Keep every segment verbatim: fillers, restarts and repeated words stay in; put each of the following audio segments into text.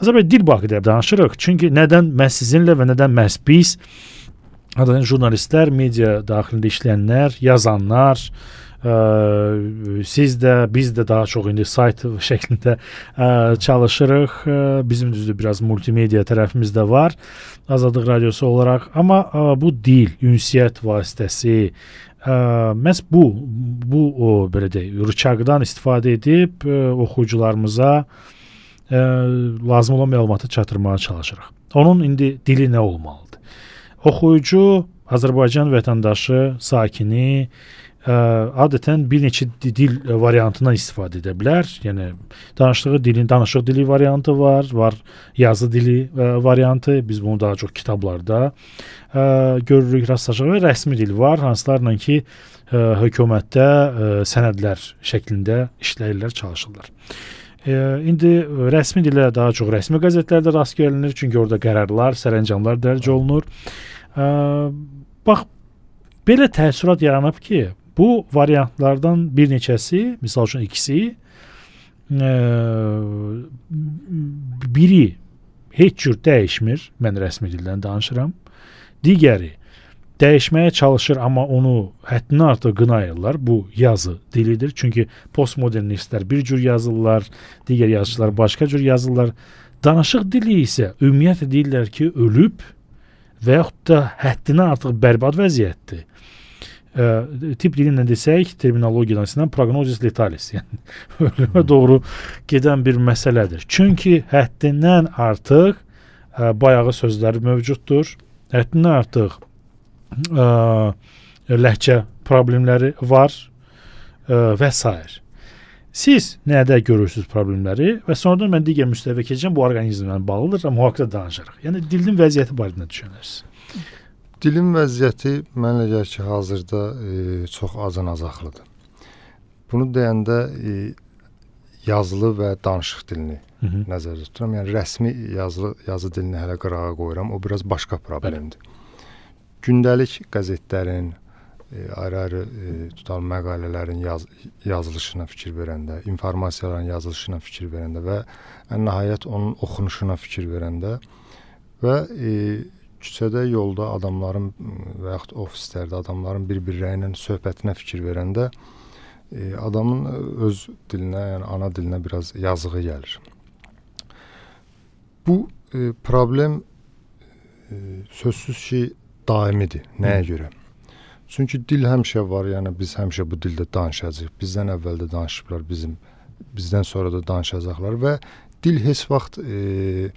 Azərbaycan dil barədə danışırıq. Çünki nədən məhz sizinlə və nədən məhz biz, adətən jurnalistlər, media daxilində işləyənlər, yazanlar, ə, siz də, biz də daha çox indi sayt şəklində ə, çalışırıq. Ə, bizim düzdür biraz multimedia tərəfimiz də var, Azadlıq Radiosu olaraq. Amma ə, bu dil, ünsiyyət vasitəsi, ə, məhz bu, bu o belə deyək, rıçaqdan istifadə edib ə, oxuyucularımıza ə, lazım olan məlumatı çatdırmağa çalışırıq. Onun indi dili nə olmalıdır? Oxuyucu, Azərbaycan vətəndaşı, sakini ə, adətən bir neçə dil variantından istifadə edə bilər. Yəni danışdığı dilin danışıq dili variantı var, var yazı dili ə, variantı. Biz bunu daha çox kitablarda ə, görürük, rastlaşırıq və rəsmi dil var, hansılarla ki ə, hökumətdə ə, sənədlər şəklində işləyirlər, çalışırlar. E, indi rəsmi dilə daha çox rəsmi qəzetlərdə rast gəlinir, çünki orada qərarlar, sərəncamlar dərc olunur. E, bax, belə təəssürat yaranıb ki, bu variantlardan bir neçəsi, misal üçün ikisi, e, biri heç cür dəyişmir, mən rəsmi dildən danışıram, digəri dəyişməyə çalışır, amma onu həddindən artıq qınayırlar. Bu yazı dilidir. Çünki postmodernistlər bir cür yazırlar, digər yazıçılar başqa cür yazırlar. Danışıq dili isə ümumiyyətlə deyirlər ki, ölüb və yaxud da həddindən artıq bərbad vəziyyətdir. E, tip dilindən desək, terminologiyadan istəyən prognozis letalis, yəni ölümə doğru gedən bir məsələdir. Çünki həddindən artıq e, bayağı sözləri mövcuddur. Həddindən artıq Ə, ləhcə problemləri var ə, və s. Siz nədə görürsünüz problemləri və sonradan mən digər müstəviyə keçəcəm, bu orqanizmlə bağlıdır, amma haqqında danışırıq. Yəni dilin vəziyyəti barədə nə düşünürsünüz? Dilin vəziyyəti mənə gəlir ki, hazırda e, çox azan-azaqlıdır. Bunu deyəndə e, yazılı və danışıq dilini Hı -hı. nəzərdə tuturam. Yəni rəsmi yazılı yazı dilini hələ qırağa qoyuram. O biraz başqa problemdir. Bəli. Gündəlik qəzetlərin, e, ayrı-ayrı e, tutalım məqalələrin yaz, yazılışına fikir verəndə, informasiyaların yazılışına fikir verəndə və ən nəhayət onun oxunuşuna fikir verəndə və e, küçədə, yolda adamların və yaxud ofislərdə adamların bir-birləri ilə söhbətinə fikir verəndə e, adamın öz dilinə, yəni ana dilinə biraz yazığı gəlir. Bu e, problem e, sözsüz ki, daimidir. Nəyə Hı. görə? Çünki dil həmişə var, yəni biz həmişə bu dildə danışacağıq. Bizdən əvvəl də danışıblar, bizim bizdən sonra da danışacaqlar və dil heç vaxt e,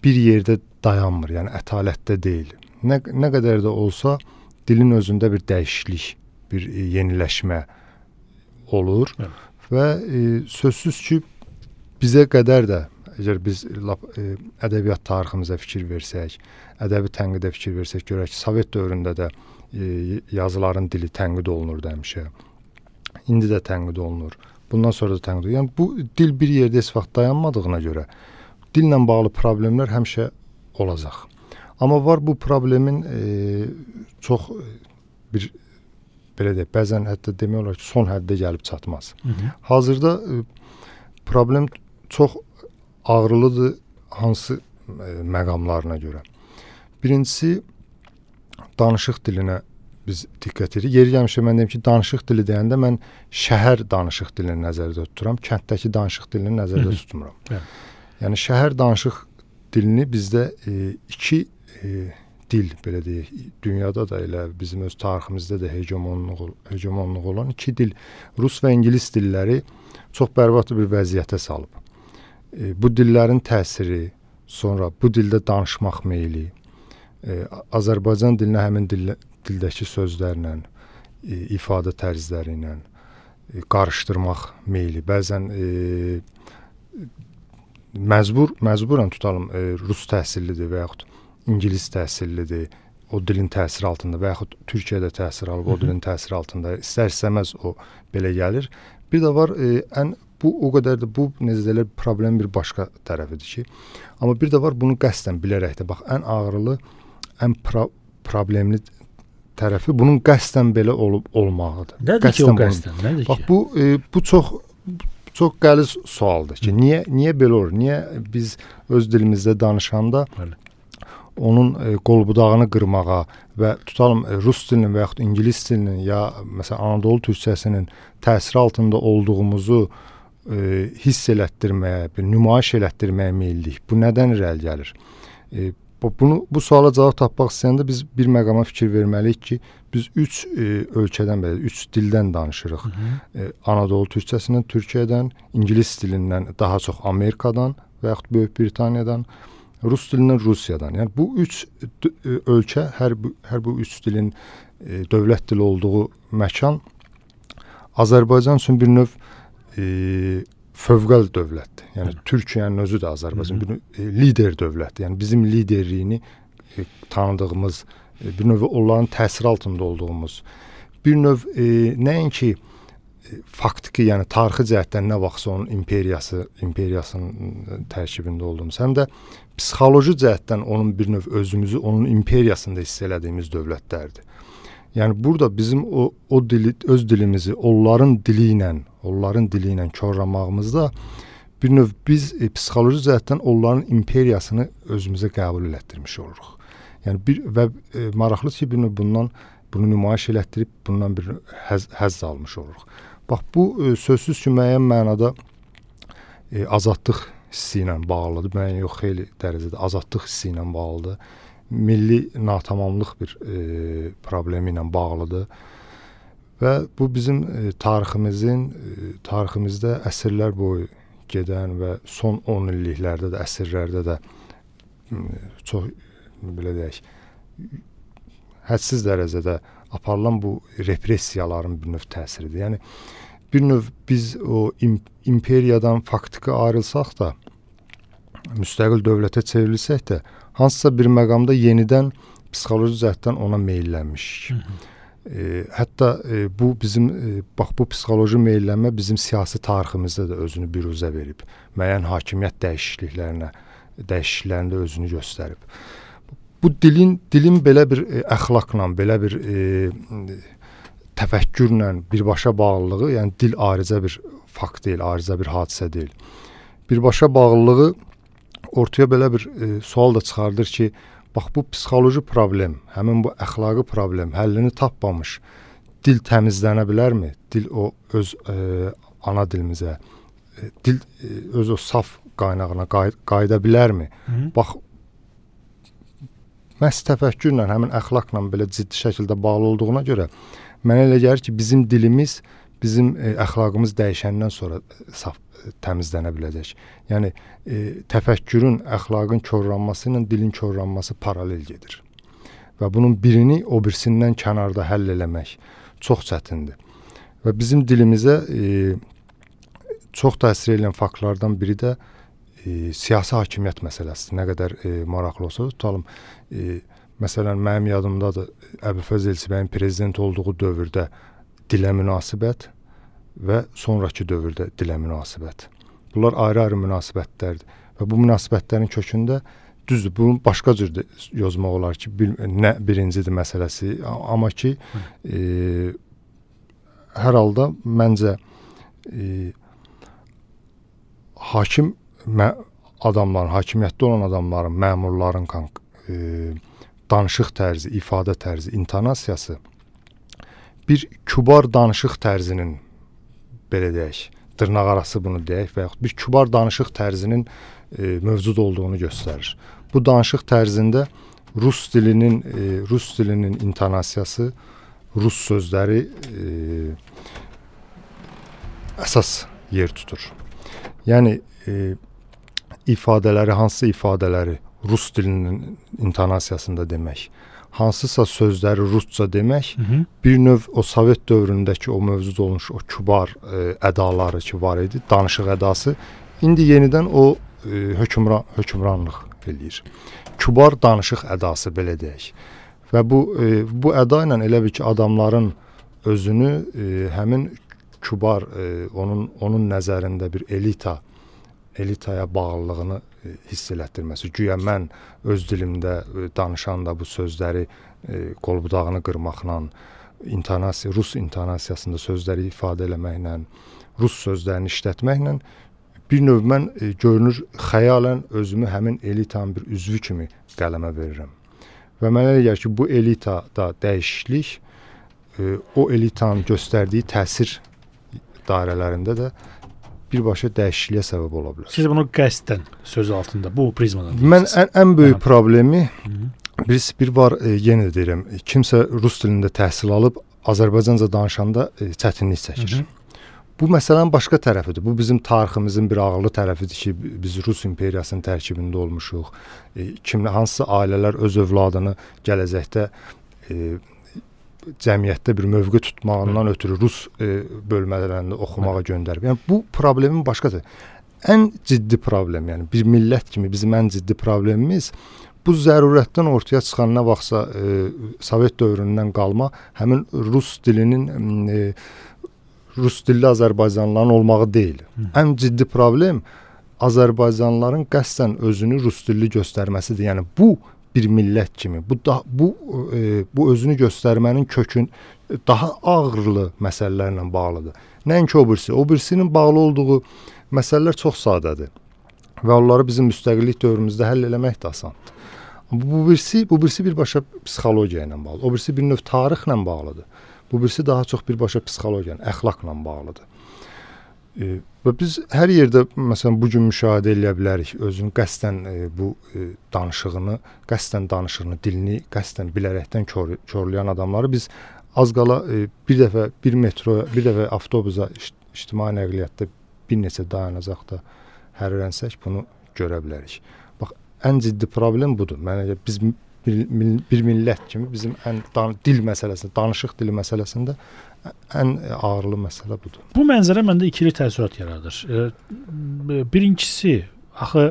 bir yerdə dayanmır, yəni ətalətdə deyil. Nə, nə qədər də olsa dilin özündə bir dəyişiklik, bir e, yeniləşmə olur Hı. və e, sözsüz ki, bizə qədər də əgər biz lap, e, ədəbiyyat tariximizə fikir versək, ədəbi tənqidə fikir versək, görək ki, Sovet dövründə də e, yazıların dili tənqid olunurdu həmişə. İndi də tənqid olunur. Bundan sonra da tənqid olunur. Yəni bu dil bir yerdə heç vaxt dayanmadığına görə dillə bağlı problemlər həmişə olacaq. Amma var bu problemin e, çox bir belə deyək, bəzən hətta demək olar ki, son həddə gəlib çatmaz. Hı -hı. Hazırda e, problem çox ağrılıdır hansı e, məqamlarına görə. Birincisi, danışıq dilinə biz diqqət edirik. Yeri gəlmişə mən deyim ki, danışıq dili deyəndə mən şəhər danışıq dilini nəzərdə tuturam, kənddəki danışıq dilini nəzərdə tutmuram. Evet. Yəni şəhər danışıq dilini bizdə e, iki e, dil, belə deyək, dünyada da elə bizim öz tariximizdə də hegemonluq, hegemonluq olan iki dil, rus və ingilis dilləri çox bərbad bir vəziyyətə salıb. E, bu dillərin təsiri, sonra bu dildə danışmaq meyli, e, Azərbaycan dilinə həmin dil, dildəki sözlərlə, e, ifadə tərzləri ilə e, qarışdırmaq meyli. Bəzən e, məcbur, məcburan tutalım, e, rus təhsillidir və yaxud ingilis təhsillidir, o dilin təsiri altında və yaxud Türkiyədə təsir alıb, o dilin təsiri altında istər-istəməz o belə gəlir. Bir də var, e, ən bu o qədər də bu necə deyirlər, problem bir başqa tərəfidir ki, amma bir də var bunu qəsdən bilərək də, bax ən ağrılı, ən pro problemli tərəfi bunun qəsdən belə olub olmağıdır. Nədir qəsdən ki o qəsdən? Nədir bax ki? bu e, bu çox çox qəliz sualdır ki, niyə niyə belə olur? Niyə biz öz dilimizdə danışanda Bəli. onun e, qolbudağını qırmağa və tutalım e, rus dilinin və yaxud ingilis dilinin ya məsələn Anadolu türkçəsinin təsiri altında olduğumuzu e, hiss elətdirməyə, bir nümayiş elətdirməyə meyillik. Bu nədən irəli gəlir? E, bu, bunu, bu suala cavab tapmaq istəyəndə biz bir məqama fikir verməliyik ki, biz üç e, ölkədən belə, üç dildən danışırıq. Hı -hı. E, Anadolu türkçəsindən, Türkiyədən, ingilis dilindən, daha çox Amerikadan və yaxud Böyük Britaniyadan, Rus dilindən Rusiyadan. Yəni bu üç ölkə, hər bu, hər bu üç dilin e, dövlət dili olduğu məkan Azərbaycan üçün bir növ e, fövqəl dövlətdir. Yəni Hı. Türkiyənin özü də Azərbaycan Hı -hı. bir növ, e, lider dövlətdir. Yəni bizim liderliyini e, tanıdığımız, e, bir növ onların təsiri altında olduğumuz, bir növ e, nəinki faktiki, yəni tarixi cəhətdən nə vaxtsa onun imperiyası, imperiyasının tərkibində olduğumuz, həm də psixoloji cəhətdən onun bir növ özümüzü onun imperiyasında hiss elədiyimiz dövlətlərdir. Yəni burada bizim o o dili, öz dilimizi onların dili ilə, onların dili ilə korlamağımızda bir növ biz e, psixoloji cəhətdən onların imperiyasını özümüzə qəbul elətdirmiş oluruq. Yəni bir və e, maraqlıdır ki, bir növ bundan bunu nümayiş elətdirib bundan bir həzz, həzz almış oluruq. Bax, bu e, sözsüz ki, müəyyən mənada e, azadlıq hissi ilə bağlıdır. Müəyyən yox, xeyli dərəcədə azadlıq hissi ilə bağlıdır. Milli natamamlıq bir e, problemi ilə bağlıdır. Və bu bizim e, tariximizin, e, tariximizdə əsrlər boyu gedən və son on illiklərdə də, əsrlərdə də e, çox, belə deyək, hədsiz dərəcədə aparılan bu repressiyaların bir növ təsiridir. Yəni, bir növ biz o im imperiyadan faktiki ayrılsaq da, müstəqil dövlətə çevrilsək də, hansısa bir məqamda yenidən psixoloji cəhətdən ona meyillənmişik. E, hətta e, bu bizim, e, bax bu psixoloji meyillənmə bizim siyasi tariximizdə də özünü biruzə verib. Müəyyən hakimiyyət dəyişikliklərinə, dəyişikliklərində özünü göstərib. Bu dilin dilin belə bir e, əxlaqla, belə bir e, təfəkkürlə birbaşa bağlılığı, yəni dil ayrıca bir fakt deyil, ayrıca bir hadisə deyil. Birbaşa bağlılığı ortaya belə bir e, sual da çıxardır ki, bax bu psixoloji problem, həmin bu əxlaqi problem həllini tapmamış dil təmizlənə bilərmi? Dil o öz e, ana dilimizə, e, dil e, öz o saf qaynağına qay qayıda bilərmi? Hı -hı. Bax, məhz təfəkkürlə, həmin əxlaqla belə ciddi şəkildə bağlı olduğuna görə mənə elə gəlir ki, bizim dilimiz, bizim e, əxlaqımız dəyişəndən sonra saf e, təmizlənə biləcək. Yəni e, təfəkkürün, əxlaqın korlanması ilə dilin korlanması paralel gedir. Və bunun birini o birisindən kənarda həll eləmək çox çətindir. Və bizim dilimizə e, çox təsir edən faktlardan biri də e, siyasi hakimiyyət məsələsidir. Nə qədər e, maraqlı olsa da tutalım. E, məsələn, mənim yadımdadır, Əbülfəz Elçibəyin prezident olduğu dövrdə dilə münasibət və sonraki dövrdə dilə münasibət. Bunlar ayrı-ayrı münasibətlərdir. Və bu münasibətlərin kökündə düzdür, bunu başqa cür yozmaq olar ki, bir, nə birincidir məsələsi, amma ki, e, hər halda məncə e, hakim adamların, hakimiyyətdə olan adamların, məmurların e, danışıq tərzi, ifadə tərzi, intonasiyası bir kübar danışıq tərzinin, belə deyək, dırnaq arası bunu deyək və yaxud bir kübar danışıq tərzinin e, mövcud olduğunu göstərir. Bu danışıq tərzində rus dilinin, e, rus dilinin intonasiyası, rus sözləri e, əsas yer tutur. Yəni e, ifadələri, hansı ifadələri rus dilinin intonasiyasında demək, hansısa sözləri rusca demək, hı -hı. bir növ o Sovet dövründəki o mövcud olmuş o kübar e, ədaları ki var idi, danışıq ədası, indi yenidən o e, hökmran, hökmranlıq eləyir. Kübar danışıq ədası, belə deyək. Və bu, e, bu əda ilə elə bir ki, adamların özünü e, həmin kübar, e, onun, onun nəzərində bir elita, elitaya bağlılığını e, hiss elətdirməsi. Güya mən öz dilimdə e, danışan da bu sözləri e, qolbudağını qırmaqla, intonasiya, rus intonasiyasında sözləri ifadə eləməklə, rus sözlərini işlətməklə bir növ mən e, görünür xəyalən özümü həmin elitanın bir üzvü kimi qələmə verirəm. Və mənə elə gəlir ki, bu elitada dəyişiklik e, o elitanın göstərdiyi təsir dairələrində də birbaşa dəyişikliyə səbəb ola bilər. Siz bunu qəsdən söz altında bu prizmadan mən ən, ən böyük Hı. problemi Hı. bir, bir var, e, yenə deyirəm, kimsə rus dilində təhsil alıb Azərbaycanca danışanda e, çətinlik çəkir. Hı -hı. Bu məsələnin başqa tərəfidir. Bu bizim tariximizin bir ağırlı tərəfidir ki, biz Rus imperiyasının tərkibində olmuşuq. E, kim hansısa ailələr öz övladını gələcəkdə e, cəmiyyətdə bir mövqe tutmağından Hı. ötürü Rus e, bölmələrində oxumağa Hı. göndərib. Yəni bu problemin başqadır. Ən ciddi problem, yəni bir millət kimi bizim ən ciddi problemimiz bu zərurətdən ortaya çıxan nə vaxtsa e, Sovet dövründən qalma həmin Rus dilinin e, Rus dilli Azərbaycanlıların olmağı deyil. Hı. Ən ciddi problem Azərbaycanlıların qəsdən özünü Rus dilli göstərməsidir. Yəni bu bir millət kimi, bu da, bu e, bu özünü göstərmənin kökün daha ağırlı məsələlərlə bağlıdır. Nəinki o birisi, o birisinin bağlı olduğu məsələlər çox sadədir və onları bizim müstəqillik dövrümüzdə həll eləmək də asandır. Bu birisi, bu birisi birbaşa psixologiya ilə bağlıdır. O birisi bir növ tarixlə bağlıdır. Bu birisi daha çox birbaşa psixologiya, əxlaqla bağlıdır. E, və biz hər yerdə məsələn bu gün müşahidə edə bilərik özünün qəsdən e, bu e, danışığını, qəsdən danışığını, dilini qəsdən bilərəkdən kör, körləyən adamları biz az qala e, bir dəfə bir metroya, bir dəfə avtobusa, ictimai nəqliyyatda bir neçə dayanacaqda hərrlənsək bunu görə bilərik. Bax, ən ciddi problem budur. Mənə biz Bir, bir millət kimi bizim ən dan, dil məsələsində, danışıq dili məsələsində ən ağırlı məsələ budur. Bu mənzərə məndə ikili təəssürat yaradır. E, birincisi, axı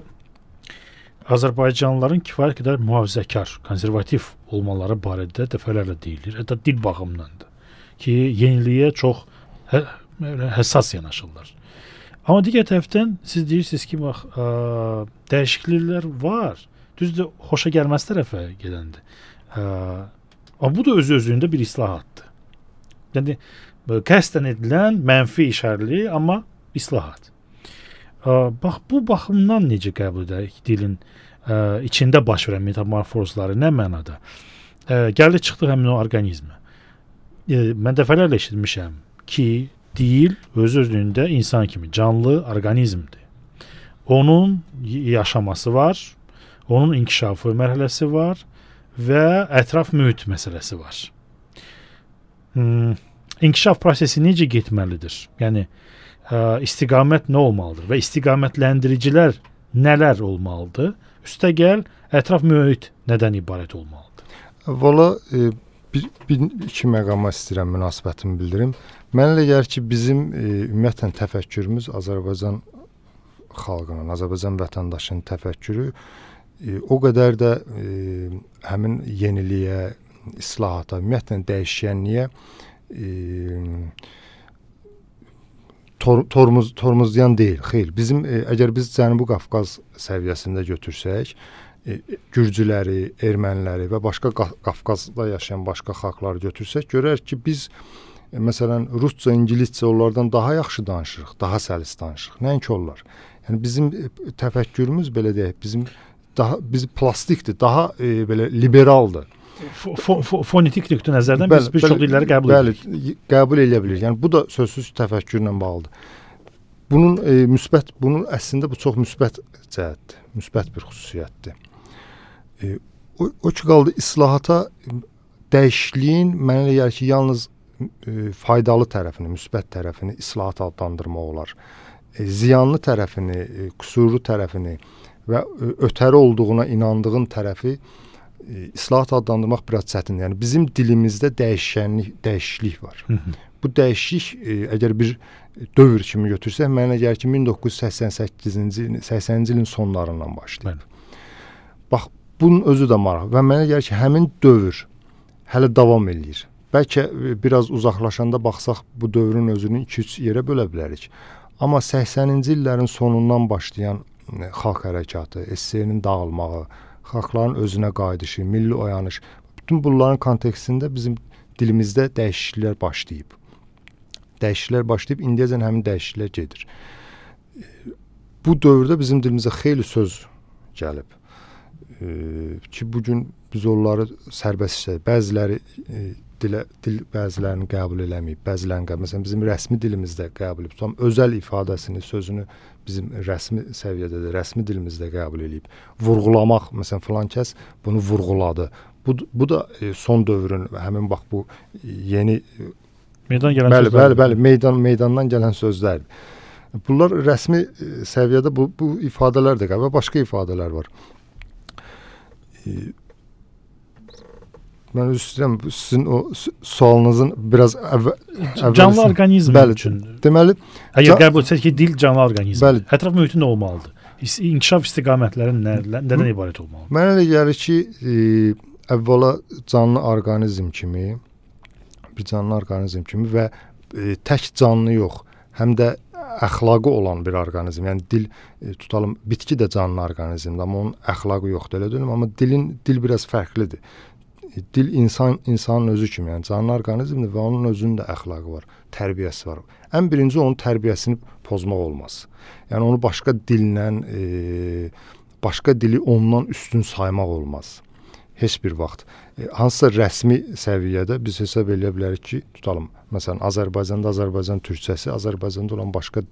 Azərbaycanlıların kifayət qədər mühafizəkar, konservativ olmaları barədə dəfələrlə deyilir. Hətta dil baxımındandır ki, yeniliyə çox hə, həssas yanaşırlar. Amma digər tərəfdən siz deyirsiniz ki, bax, ə, dəyişikliklər var. Düzdür, xoşa gəlməz tərəfə gedəndir. Ə, amma bu da öz-özlüyündə bir islahatdır. Yəni, qəsdən edilən mənfi işarəli, amma islahat. Ə, bax, bu baxımdan necə qəbul edək dilin ə, içində baş verən metamorfozları, nə mənada? Ə, gəldi çıxdıq həmin o orqanizmə. Ə, mən dəfələrlə eşitmişəm ki, dil öz-özlüyündə insan kimi canlı orqanizmdir. Onun yaşaması var, onun inkişafı mərhələsi var və ətraf mühit məsələsi var. Hmm, inkişaf prosesi necə getməlidir? Yəni, ə, istiqamət nə olmalıdır və istiqamətləndiricilər nələr olmalıdır? Üstəgəl, ətraf mühit nədən ibarət olmalıdır? Valla, e, bir, bir iki məqama istəyirəm, münasibətimi bildirim. Mənə elə gəlir ki, bizim e, ümumiyyətlə təfəkkürümüz Azərbaycan xalqının, Azərbaycan vətəndaşının təfəkkürü E, o qədər də e, həmin yeniliyə, islahata, ümumiyyətlə dəyişkənliyə e, tor, tormuz, tormuzlayan deyil. Xeyr, bizim e, əgər biz Cənubi Qafqaz səviyyəsində götürsək, e, Gürcüləri, erməniləri və başqa Qafqazda yaşayan başqa xalqları götürsək, görərik ki, biz e, məsələn rusca, ingiliscə onlardan daha yaxşı danışırıq, daha səlis danışırıq. Nəinki onlar. Yəni bizim e, təfəkkürümüz belə deyək, bizim daha biz plastikdir, daha e, belə liberaldır. Fonetik nöqtə nəzərdən biz bir çox dilləri qəbul edirik. Bəli, qəbul edə bilirik. Yəni bu da sözsüz təfəkkürlə bağlıdır. Bunun e, müsbət, bunun əslində bu çox müsbət cəhətdir, müsbət bir xüsusiyyətdir. E, o, o ki qaldı islahata dəyişikliyin mənə elə gəlir ki, yalnız e, faydalı tərəfini, müsbət tərəfini islahat adlandırmaq olar. E, ziyanlı tərəfini, e, qüsurlu tərəfini və ötəri olduğuna inandığın tərəfi e, islahat adlandırmaq biraz çətindir. Yəni bizim dilimizdə dəyişkənlik, dəyişiklik var. Hı -hı. Bu dəyişiklik e, əgər bir dövr kimi götürsək, mənə gəlir ki, min doqquz yüz səksən səkkizinci səksəninci ilin sonlarından başlayıb. Bəli. Bax, bunun özü də maraq və mənə gəlir ki, həmin dövr hələ davam eləyir. Bəlkə biraz uzaqlaşanda baxsaq bu dövrün özünü iki üç yerə bölə bilərik. Amma səksəninci illərin sonundan başlayan xalq hərəkatı, S S R-nin dağılmağı, xalqların özünə qayıdışı, milli oyanış, bütün bunların kontekstində bizim dilimizdə dəyişikliklər başlayıb. Dəyişikliklər başlayıb, indiyəcən həmin dəyişikliklər gedir. Bu dövrdə bizim dilimizə xeyli söz gəlib. E, ki, bugün biz onları sərbəst işlədik. Bəziləri e, dilə, dil bəzilərini qəbul eləməyib, bəzilərini qəbul. Məsələn, bizim rəsmi dilimizdə qəbul edib. Tam özəl ifadəsini, sözünü bizim rəsmi səviyyədə də, rəsmi dilimizdə qəbul edib. Vurğulamaq, məsələn, filan kəs bunu vurğuladı. Bu, bu da e, son dövrün, həmin bax bu yeni meydan gələn bəli, sözlər. Bəli, bəli, meydan meydandan gələn sözlərdir. Bunlar rəsmi e, səviyyədə bu bu ifadələr də qəbul, başqa ifadələr var. E, mən istəyirəm sizin o sualınızın biraz əvvəl canlı orqanizm üçün. Deməli, əgər qəbul etsək ki, dil canlı orqanizm. Bəli. Ətraf mühiti nə olmalıdır? İnkişaf istiqamətləri nədən ibarət olmalıdır? Mənə elə gəlir ki, e, əvvəla canlı orqanizm kimi, bir canlı orqanizm kimi və e, tək canlı yox, həm də əxlaqı olan bir orqanizm. Yəni dil e, tutalım, bitki də canlı orqanizmdir, amma onun əxlaqı yoxdur, elə deyilmi? Amma dilin dil biraz fərqlidir. Dil insan insanın özü kimi, yəni canlı orqanizmdir və onun özünün də əxlaqı var, tərbiyəsi var. Ən birinci onun tərbiyəsini pozmaq olmaz. Yəni onu başqa dillə, e, başqa dili ondan üstün saymaq olmaz. Heç bir vaxt. E, hansısa rəsmi səviyyədə biz hesab edə bilərik ki, tutalım, məsələn, Azərbaycanda Azərbaycan türkçəsi, Azərbaycanda olan başqa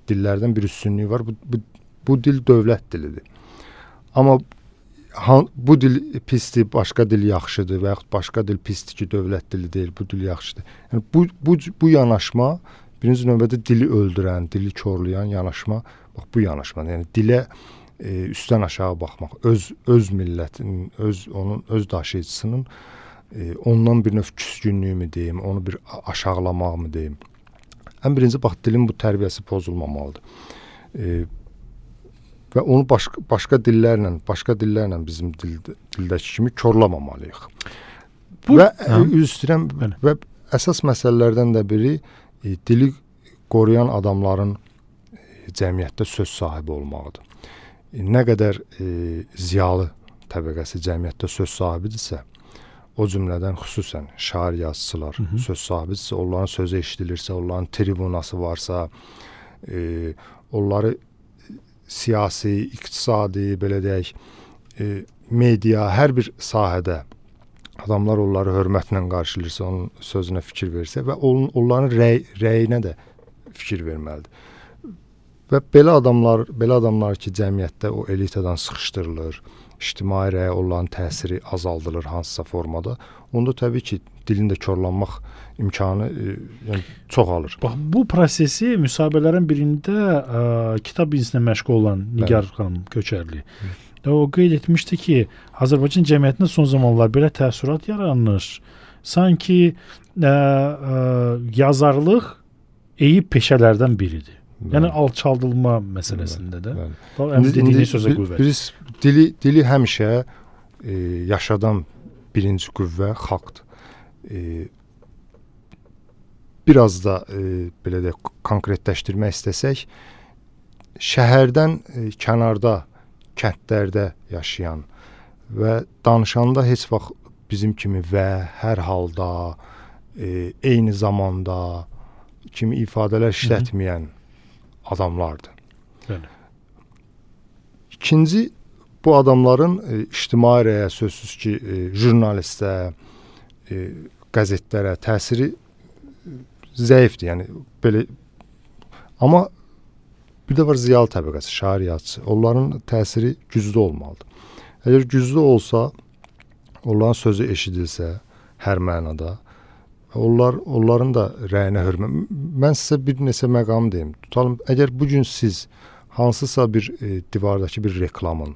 dillərdən bir üstünlüyü var. Bu, bu, bu dil dövlət dilidir. Amma Han, bu dil pisdir, başqa dil yaxşıdır və yaxud başqa dil pisdir ki, dövlət dili deyil, bu dil yaxşıdır. Yəni bu bu bu yanaşma birinci növbədə dili öldürən, dili korlayan yanaşma, bax bu yanaşma. Yəni dilə e, üstdən aşağı baxmaq, öz öz millətinin, öz onun öz daşıyıcısının e, ondan bir növ küskünlüyümü deyim, onu bir aşağılamaqmı deyim. Ən birinci bax dilin bu tərbiyəsi pozulmamalıdır. E, və onu başqa başqa dillərlə, başqa dillərlə bizim dildə, dildəki kimi korlamamalıyıq. Bu, və üstürəm və əsas məsələlərdən də biri e, dili qoruyan adamların e, cəmiyyətdə söz sahibi olmağıdır. E, nə qədər e, ziyalı təbəqəsi cəmiyyətdə söz sahibidirsə, o cümlədən xüsusən şair yazıçılar hı -hı. söz sahibidirsə, onların sözü eşidilirsə, onların tribunası varsa, e, onları siyasi, iqtisadi, belə deyək, e, media, hər bir sahədə adamlar onları hörmətlə qarşılayırsa, onun sözünə fikir verirsə və onun, onların rəy, rəyinə də fikir verməlidir. Və belə adamlar, belə adamlar ki, cəmiyyətdə o elitadan sıxışdırılır, ictimai rəyə onların təsiri azaldılır hansısa formada, onda təbii ki, dilində korlanmaq imkanı e, yəni çox alır. Bax, bu prosesi müsahibələrin birində ə, kitab bizneslə məşğul olan Nigar Bəli. xanım Köçərli Hı. o qeyd etmişdi ki, Azərbaycan cəmiyyətində son zamanlar belə təəssürat yaranır. Sanki ə, ə, yazarlıq eyib peşələrdən biridir. Bəli. Yəni alçaldılma məsələsində də. Həm dediyiniz sözə qüvvət. Biz dili dili həmişə e, yaşadan birinci qüvvə xalqdır. E, biraz da e, belə də konkretləşdirmək istəsək, şəhərdən e, kənarda, kəndlərdə yaşayan və danışanda heç vaxt bizim kimi və hər halda, e, eyni zamanda kimi ifadələr işlətməyən adamlardır. Bəli. İkinci, bu adamların e, ictimai rəyə, sözsüz ki, e, jurnalistə, e, qəzetlərə təsiri zəifdir. Yəni belə, amma bir də var ziyalı təbəqəsi, şair yazıçı. Onların təsiri güclü olmalıdır. Əgər güclü olsa, onların sözü eşidilsə hər mənada, onlar onların da rəyinə hörmət. Mən sizə bir neçə məqam deyim. Tutalım, əgər bu gün siz hansısa bir e, divardakı bir reklamın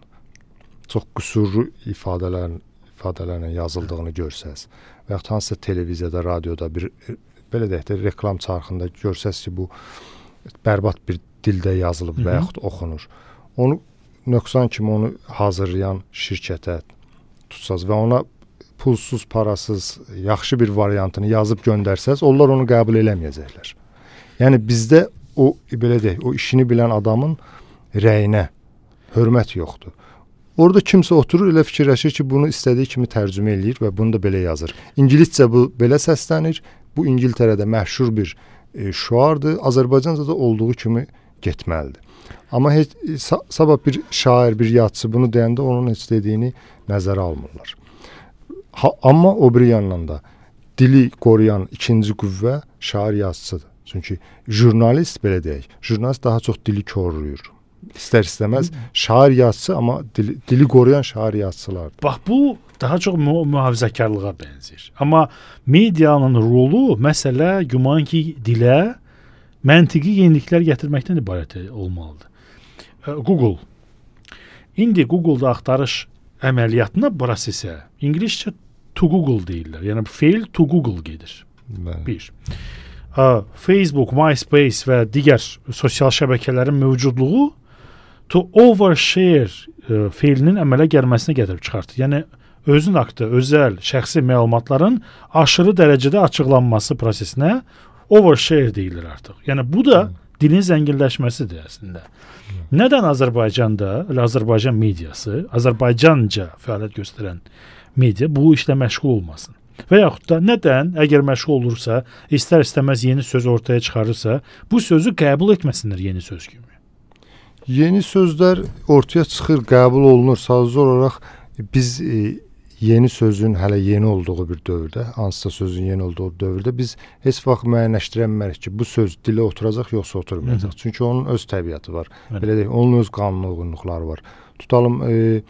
çox qüsurlu ifadələrin ifadələrlə yazıldığını görsəz və yaxud hansısa televiziyada, radioda bir e, belə deyək də reklam çarxında görsəz ki, bu bərbad bir dildə yazılıb Hı -hı. və yaxud oxunur. Onu nöqsan kimi onu hazırlayan şirkətə tutsaz və ona pulsuz, parasız, yaxşı bir variantını yazıb göndərsəz, onlar onu qəbul eləməyəcəklər. Yəni bizdə o belə deyək, o işini bilən adamın rəyinə hörmət yoxdur. Orada kimsə oturur, elə fikirləşir ki, bunu istədiyi kimi tərcümə eləyir və bunu da belə yazır. İngiliscə bu belə səslənir. Bu İngiltərədə məşhur bir e, şuardır. Azərbaycanca da olduğu kimi getməlidir. Amma heç sa sabah bir şair, bir yazıçı bunu deyəndə onun heç dediyini nəzərə almırlar. Ha, amma o bir yandan da dili qoruyan ikinci qüvvə şair yazıçıdır. Çünki jurnalist belə deyək, jurnalist daha çox dili koruyur. İstər istəməz şair yazıçı, amma dili, dili qoruyan şair yazıçılardır. Bax bu daha çox mu mühafizəkarlığa bənzəyir. Amma medianın rolu məsələ güman ki dilə məntiqi yeniliklər gətirməkdən ibarət olmalıdır. Google. İndi Google'da axtarış əməliyyatına prosesə ingiliscə to Google deyirlər. Yəni fail to Google gedir. Bəli. Bir. Facebook, MySpace və digər sosial şəbəkələrin mövcudluğu to overshare e, feilinin əmələ gəlməsinə gətirib çıxartır. Yəni özün haqqında özəl, şəxsi məlumatların aşırı dərəcədə açıqlanması prosesinə overshare deyilir artıq. Yəni bu da hmm. dilin zənginləşməsidir əslində. Hmm. Nədən Azərbaycanda, Azərbaycan mediası, Azərbaycanca fəaliyyət göstərən media bu işlə məşğul olmasın? Və yaxud da nədən, əgər məşğul olursa, istər-istəməz yeni söz ortaya çıxarırsa, bu sözü qəbul etməsinlər yeni söz kimi? Yeni sözlər ortaya çıxır, qəbul olunur. Sadəcə olaraq biz e, yeni sözün hələ yeni olduğu bir dövrdə, hansısa sözün yeni olduğu dövrdə biz heç vaxt müəyyənləşdirəmərik ki, bu söz dilə oturacaq yoxsa oturmayacaq. Hı -hı. Çünki onun öz təbiəti var. Hı. Belə deyək, onun öz qanun uyğunluqları var. Tutalım, e,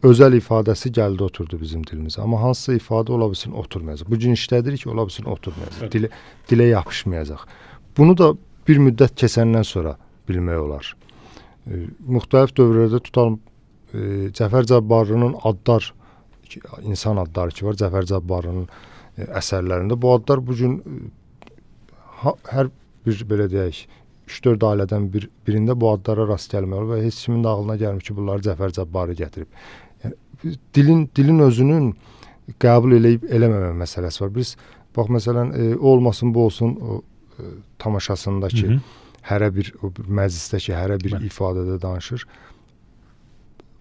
özəl ifadəsi gəldi oturdu bizim dilimizə. Amma hansısa ifadə ola bilsin oturmayacaq. Bu gün işlədir ki, ola bilsin oturmayacaq. Evet. Dilə, dilə yapışmayacaq. Bunu da bir müddət keçəndən sonra bilmək olar. E, müxtəlif dövrlərdə tutalım, e, Cəfər Cabbarlının adlar, insan adları ki var, Cəfər Cabbarlının e, əsərlərində. Bu adlar bugün e, ha, hər bir belə deyək, üç dörd ailədən bir, birində bu adlara rast gəlmək olur və heç kimin də ağlına gəlmir ki, bunları Cəfər Cabbarlı gətirib. Yəni, dilin, dilin özünün qəbul eləyib eləməmə məsələsi var. Biz, bax, məsələn, e, olmasın, bu olsun o e, tamaşasındakı Hı -hı. hərə bir, o bir məclisdəki hərə bir Mən. ifadədə danışır.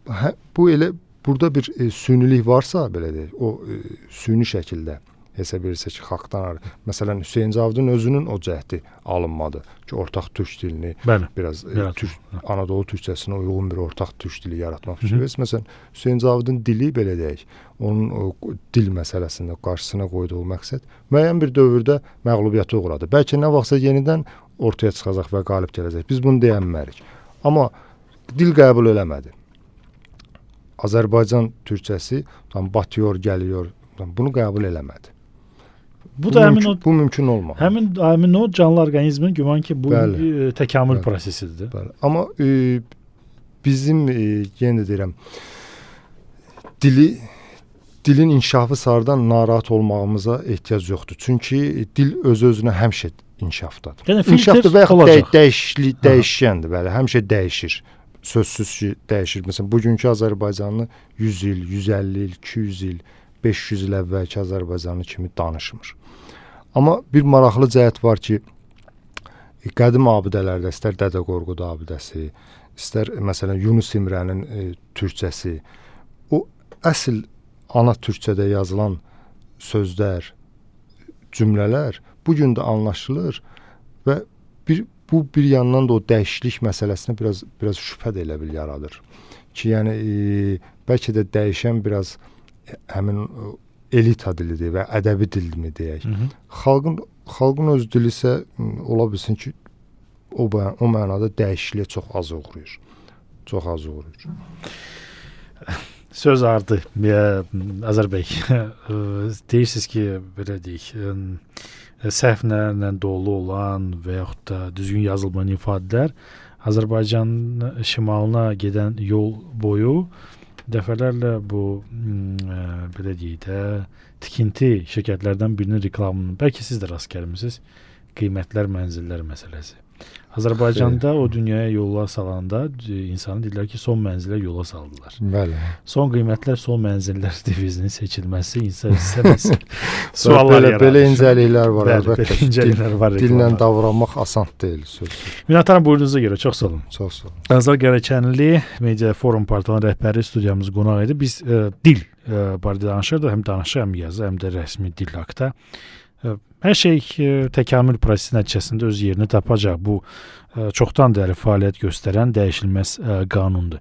Hə, bu elə, burada bir e, sünilik varsa, belə deyək, o e, süni şəkildə hesab verirsə ki, xalqdan, məsələn, Hüseyn Cavidin özünün o cəhdi alınmadı ki, ortaq türk dilini Bəli. biraz e, türk, Anadolu türkçəsinə uyğun bir ortaq türk dili yaratmaq üçün. Məsələn, Hüseyn Cavidin dili, belə deyək, onun o dil məsələsində qarşısına qoyduğu məqsəd müəyyən bir dövrdə məğlubiyyətə uğradı. Bəlkə nə vaxtsa yenidən ortaya çıxacaq və qalib gələcək. Biz bunu deyənmərik. Amma dil qəbul eləmədi. Azərbaycan türkçəsi tam batıyor, gəliyor, bunu qəbul eləmədi. Bu, bu da mümkün, həmin o bu mümkün olmaz. Həmin həmin o canlı orqanizmin güman ki bu bəli, e, təkamül bəli, prosesidir. Bəli. Amma e, bizim e, yenə də deyirəm, dili dilin inkişafı sarıdan narahat olmağımıza ehtiyac yoxdur. Çünki dil öz-özünə həmişə inkişafdadır. Yəni inkişafdır və yaxud dəy dəyişli dəyişkəndir, bəli, həmişə dəyişir. Sözsüz ki, dəyişir. Məsələn, bugünkü Azərbaycanlı yüz il, yüz əlli il, iki yüz il, beş yüz il əvvəlki Azərbaycanlı kimi danışmır. Amma bir maraqlı cəhət var ki, qədim abidələrdə, istər Dədə Qorqud abidəsi, istər məsələn Yunus İmrənin e, türkçəsi, o əsl ana türkçədə yazılan sözlər, cümlələr bu gün də anlaşılır və bir bu bir yandan da o dəyişiklik məsələsinə biraz biraz şübhə də elə bil yaradır. Ki yəni e, bəlkə də dəyişən biraz həmin elita dilidir və ədəbi dilmi deyək. Hı -hı. Xalqın xalqın öz dili isə ola bilsin ki, o o mənada dəyişikliyə çox az uğrayır. Çox az uğrayır. Söz ardı. Azər bəy, deyirsiniz ki, belə deyək, səhvlərlə dolu olan və yaxud da düzgün yazılmayan ifadələr Azərbaycanın şimalına gedən yol boyu dəfələrlə bu ə, belə deyək də tikinti şirkətlərdən birinin reklamını, bəlkə siz də rast gəlmisiniz, qiymətlər, mənzillər məsələsi. Azərbaycanda o dünyaya yola salanda insanı dedilər ki, son mənzilə yola saldılar. Bəli. Son qiymətlər, son mənzillər devizinin seçilməsi insan istəməz. Suallar belə, yaradır. Belə incəliklər var. Bəli, belə incəliklər var. Dillə davranmaq asan deyil sözsüz. Minnətdaram buyurunuza görə. Çox sağ olun. Çox sağ olun. Azər Qərəkənli Media Forum portalının rəhbəri studiyamız qonaq idi. Biz e, dil e, barədə danışırdıq. Həm danışıq, həm yazı, həm də rəsmi dil haqda. E, Hər şey e, təkamül prosesi nəticəsində öz yerini tapacaq. Bu e, çoxdan bəri fəaliyyət göstərən dəyişilməz e, qanundur.